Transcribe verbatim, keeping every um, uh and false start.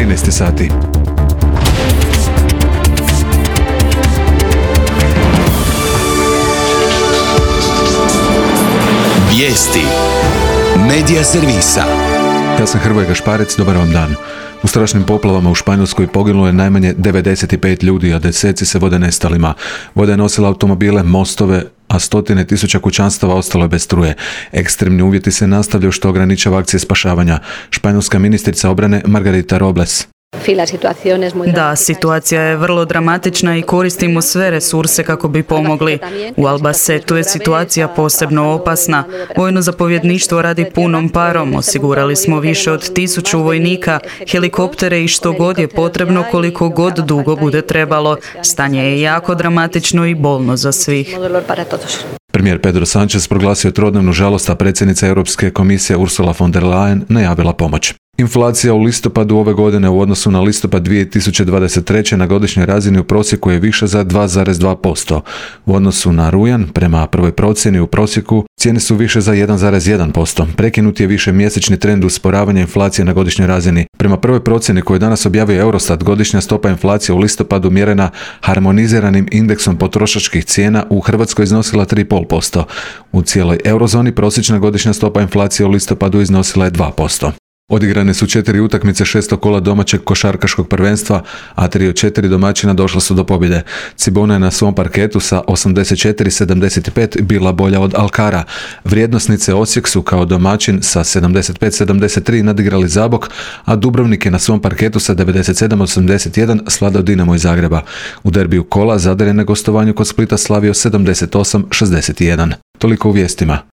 trinaest sati. Vijesti Medija servisa. Ja sam Hrvoje Gašparec, dobar vam dan. U strašnim poplavama u Španjolskoj poginulo je najmanje devedeset pet ljudi, a deseci se vode nestalima. Voda je nosila automobile, mostove, a stotine tisuća kućanstava ostalo je bez struje. Ekstremni uvjeti se nastavljaju što ograničava akcije spašavanja. Španjolska ministrica obrane Margarita Robles. Da, situacija je vrlo dramatična i koristimo sve resurse kako bi pomogli. U Albacetu je situacija posebno opasna. Vojno zapovjedništvo radi punom parom. Osigurali smo više od tisuću vojnika, helikoptere i što god je potrebno, koliko god dugo bude trebalo. Stanje je jako dramatično i bolno za svih. Premijer Pedro Sánchez proglasio trodnevnu žalost, a predsjednica Europske komisije Ursula von der Leyen najavila pomoć. Inflacija u listopadu ove godine u odnosu na listopad dvije tisuće dvadeset treće na godišnjoj razini u prosjeku je više za dva zarez dva posto. U odnosu na rujan, prema prvoj procjeni u prosjeku, cijene su više za jedan zarez jedan posto. Prekinut je više mjesečni trend usporavanja inflacije na godišnjoj razini. Prema prvoj procjeni koju danas objavio Eurostat, godišnja stopa inflacije u listopadu mjerena harmoniziranim indeksom potrošačkih cijena u Hrvatskoj iznosila tri zarez pet posto. U cijeloj eurozoni prosječna godišnja stopa inflacije u listopadu iznosila je dva posto. Odigrane su četiri utakmice šestog kola domaćeg košarkaškog prvenstva, a tri od četiri domaćina došla su do pobjede. Cibona je na svom parketu sa osamdeset četiri sedamdeset pet bila bolja od Alkara. Vrijednosnice Osijek su kao domaćin sa sedamdeset pet sedamdeset tri nadigrali Zabok, a Dubrovnik je na svom parketu sa devedeset sedam osamdeset jedan svladao Dinamo iz Zagreba. U derbiju kola Zadar je na gostovanju kod Splita slavio sedamdeset osam šezdeset jedan. Toliko u vijestima.